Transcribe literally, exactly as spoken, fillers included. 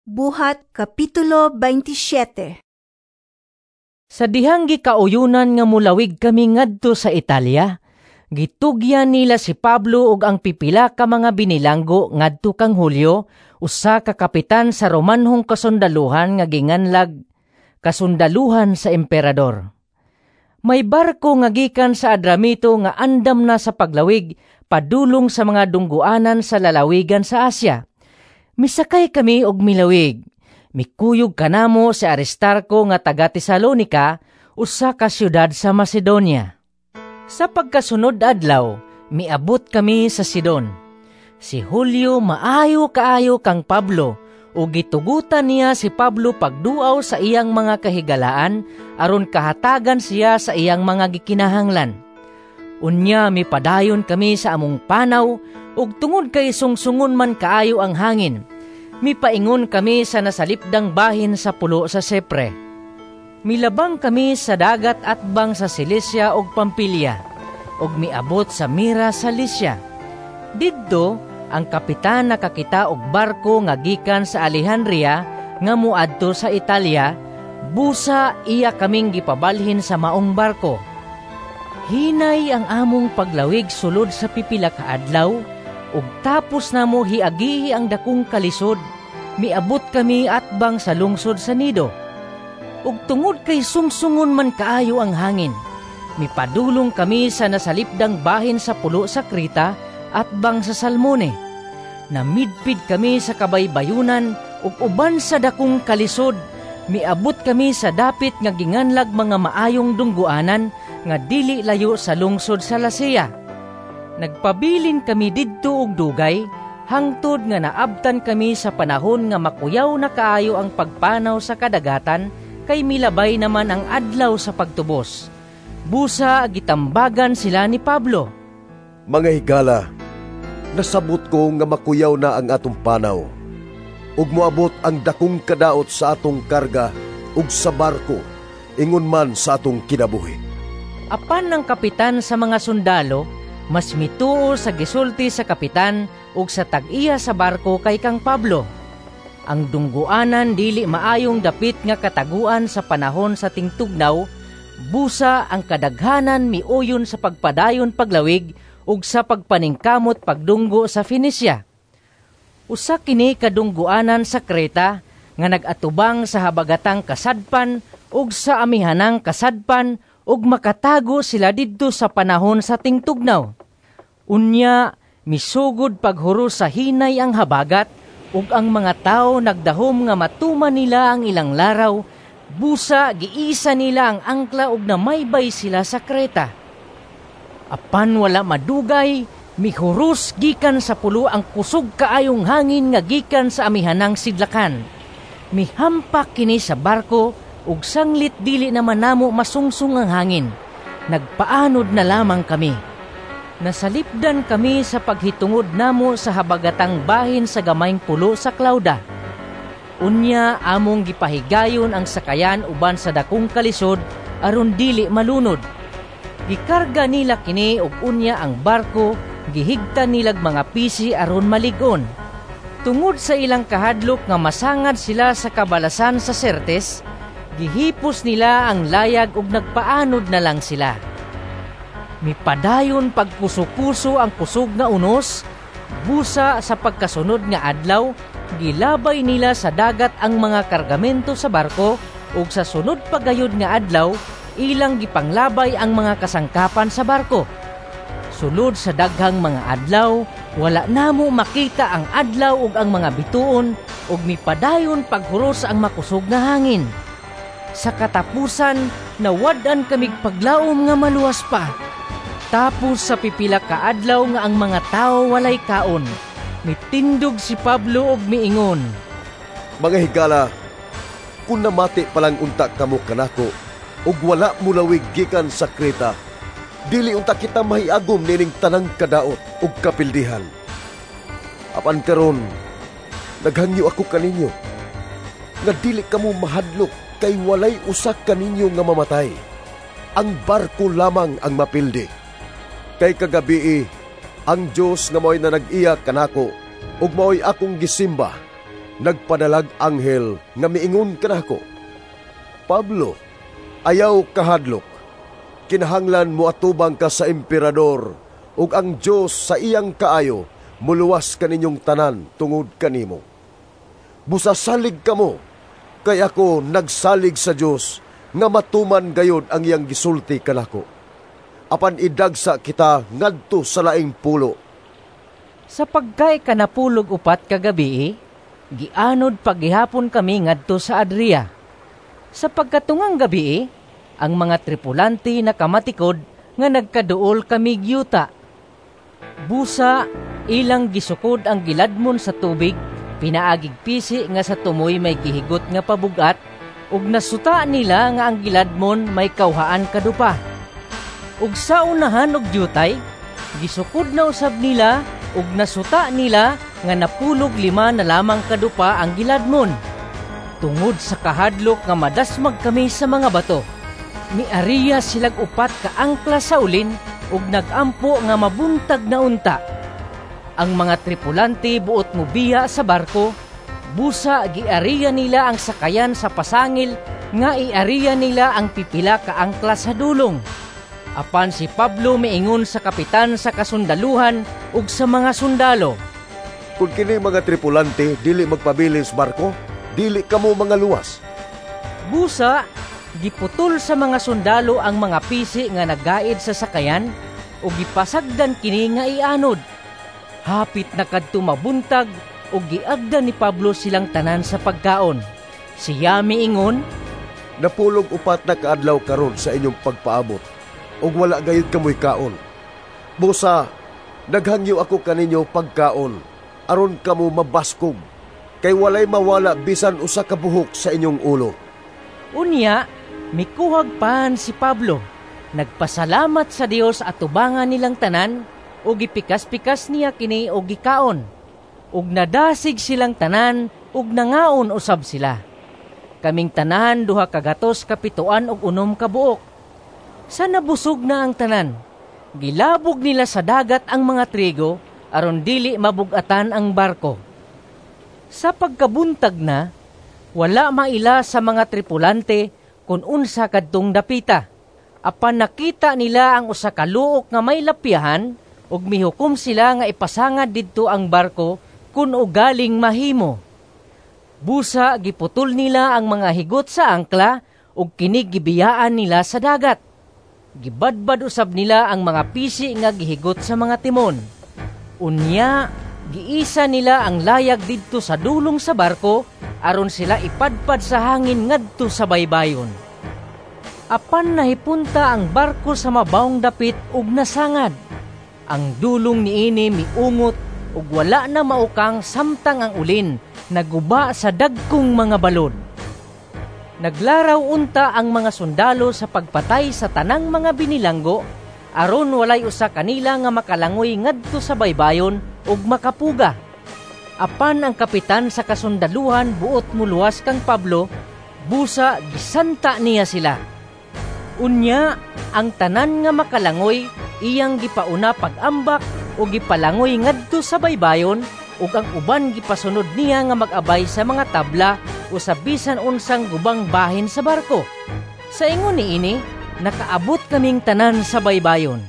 Buhat Kapitulo baintisiete. Sa dihang gikauyunan nga mulawig kami ngadto sa Italia, gitugyan nila si Pablo ug ang pipila ka mga binilanggo ngadto kang Julio, usa ka kapitan sa Romanhong kasundaluhan nga ginganlag kasundaluhan sa emperador. May barko nga gikan sa Adramito nga andam na sa paglawig padulong sa mga dungguanan sa lalawigan sa Asia. Misakay kami og milawig. Mikuyog kanamo si Aristarco nga taga Tesalonica, usa ka syudad sa Macedonia. Sa pagkasunod adlaw, miabot kami sa Sidon. Si Julio maayo kaayo kang Pablo ug gitugutan niya si Pablo pagduaw sa iyang mga kahigalaan aron kahatagan siya sa iyang mga gikinahanglan. Unya mipadayon kami sa among panaw ug tungod kay sungsungon man kaayo ang hangin, mipaingon kami sa nasalipdang bahin sa pulo sa Sipre. Milabang kami sa dagat atbang sa Cilicia ug Pampilia, ug miabot sa Mira sa Lycia. Didto, ang kapitan nakakita og barko nga gikan sa Alejandria nga moadto sa Italia, busa iya kaming gipabalhin sa maong barko. Hinay ang among paglawig sulod sa pipila ka adlaw, ug tapos namo hiagihi ang dakong kalisod, miabot kami atbang sa lungsod sa Nido. Ug tungod kay sungsungon man kaayo ang hangin, mipadulong kami sa nasalipdang bahin sa pulo sa Creta atbang sa Salmone. Namidpid kami sa kabaybayunan ug uban sa dakong kalisod, miabot kami sa dapit nga ginganlag mga maayong dungguanan nga dili layo sa lungsod sa Lasea. Nagpabilin kami didto og dugay, hangtod nga naabtan kami sa panahon nga makuyaw na kaayo ang pagpanaw sa kadagatan, kay milabay naman ang adlaw sa pagtubos. Busa gitambagan sila ni Pablo. Mga higala, nasabot ko nga makuyaw na ang atong panaw, ug moabot ang dakong kadaot sa atong karga ug sa barko, ingon man sa atong kinabuhi. Apan ang kapitan sa mga sundalo, mas mituo sa gisulti sa kapitan ug sa tag-iya sa barko kay kang Pablo. Ang dungguanan dili maayong dapit nga kataguan sa panahon sa tingtugnaw, busa ang kadaghanan miuyon sa pagpadayon paglawig ug sa pagpaningkamot pagdunggo sa Fenicia. Usa kini kadungguanan sa Creta nga nag-atubang sa habagatang kasadpan ug sa amihanang kasadpan ug makatago sila didto sa panahon sa tingtugnaw. Unya misugod paghuros sa hinay ang habagat ug ang mga tawo nagdahom nga matuman nila ang ilang laraw, busa giisa nila ang angkla ug namaybay sila sa Creta. Apan wala madugay, mihuros gikan sa pulo ang kusog kaayong hangin nga gikan sa amihanang sidlakan. Mihampak kini sa barko ug sanglit dili naman namo masungsong ang hangin. Nagpaanod na lamang kami. Nasalipdan kami sa paghitungod namo sa habagatang bahin sa gamayng pulo sa Clauda. Unya among gipahigayon ang sakayan uban sa dakong kalisod aron dili malunod. Gikarga nila kini ug unya ang barko gihigtan nilag mga pisi aron malig-on. Tungod sa ilang kahadlok nga masangad sila sa kabalasan sa Sirtes, gihipos nila ang layag ug nagpaanod na lang sila. Mipadayon pagkuso-kuso ang kusog nga unos, busa sa pagkasunod nga adlaw, gilabay nila sa dagat ang mga kargamento sa barko ug sa sunod pagayod nga adlaw, ilang gipanglabay ang mga kasangkapan sa barko. Sulod sa daghang mga adlaw, wala namo makita ang adlaw ug ang mga bituon ug mipadayon paghuros ang makusog nga hangin. Sa katapusan, nawad-an kamig paglaom nga maluwas pa. Tapos sa pipila ka adlaw nga ang mga tawo walay kaon, mitindog si Pablo ug miingon, Mga higala, kun namati pa lang unta kamo kanako ug wala mulawig gikan sa Creta, dili unta kita mahiagom nining tanang kadaot ug kapildihan. Apan karon, naghangyo ako kaninyo nga dili kamo mahadlok kay walay usa kaninyo nga mamatay. Ang barko lamang ang mapildi. Kay kagabii, ang Dios nga mao'y nanag-iya kanako ug mao'y akong gisimba, Nagpadalag anghel nga miingon kanako, 'Pablo, ayaw kahadlok. Kinahanglan moatubang ka sa emperador, ug ang Dios sa iyang kaayo muluwas kaninyong tanan tungod kanimo. Busa salig kamo, kay ako nagsalig sa Dios nga matuman gayod ang iyang gisulti kanako. Apan idagsa kita ngadto sa laing pulo." Sa pagkaikanapulog upat ka gabii, gianod paggihapon kami ngadto sa Adria. Sa pagkatungang gabii, ang mga tripulante nakamatikod nga nagkaduol kami yuta. Busa ilang gisukod ang giladmon sa tubig, pinaagig pisi nga sa tumoy may gihigot nga pabugat, ug nasuta nila nga ang giladmon may kawhaan kadupa. Ug sa unahan og dyutay, gisukod na usab nila ug nasuta nila nga napulog lima na lamang kadupa ang giladmon. Tungod sa kahadlok nga madasmag kami sa mga bato, miariya silag upat ka angkla sa ulin ug nagampo nga mabuntag na unta. Ang mga tripulante buot mobiya sa barko, busa giariya nila ang sakayan sa pasangil nga iariya nila ang pipila ka angkla sa dulong. Apan si Pablo miingon sa kapitan sa kasundaluhan ug sa mga sundalo, "Kung kini mga tripulante dili magpabilin sa barko, dili kamo mga luwas." Busa giputol sa mga sundalo ang mga pisi nga nagaid sa sakayan ug gipasagdan kini nga ianod. Hapit na kadto mabuntag ug giagda ni Pablo silang tanan sa pagkaon. Siya miingon, "Napulog upat na kaadlaw karon sa inyong pagpaabot ug wala gayud kamoy kaon. Busa naghangyo ako kaninyo pagkaon aron kamo mabaskog, kay walay mawala bisan usa ka buhok sa inyong ulo." Unya mikuhag pan si Pablo. Nagpasalamat sa Dios atubangan nilang tanan ug gipikas-pikas niya kini og gikaon. Ug nadasig silang tanan ug nangaon usab sila. Kaming tanan duha ka gatos kapituan og unom ka buok. Sa nabusog na ang tanan, gilabog nila sa dagat ang mga trigo aron dili mabugatan ang barko. Sa pagkabuntag na, wala maila sa mga tripulante kun unsa kadtong dapita. Apan nakita nila ang usa ka luok nga may lapyahan ug mihukom sila nga ipasangad didto ang barko kun ugaling mahimo. Busa giputol nila ang mga higot sa angkla ug kini gibiyaan nila sa dagat. Gibadbad usab nila ang mga pisi nga gihigot sa mga timon. Unya, giisa nila ang layag didto sa dulong sa barko aron sila ipadpad sa hangin ngadto sa baybayon. Apan nahipunta ang barko sa mabawong dapit ug nasangad. Ang dulong niini miungot ug wala na maukang samtang ang ulin naguba sa dagkong mga balod. Naglaraw unta ang mga sundalo sa pagpatay sa tanang mga binilanggo aron walay usa kanila nga makalangoy ngadto sa baybayon ug makapuga. Apan ang kapitan sa kasundaluhan buot muluwas kang Pablo, busa gisanta niya sila. Unya, ang tanan nga makalangoy iyang gipauna pag-ambak o gipalangoy ngadto sa baybayon ug ang uban gipasunod niya nga mag-abay sa mga tabla o sa bisan unsang gubang bahin sa barko. Sa ingon niini, nakaabot kaming tanan sa baybayon.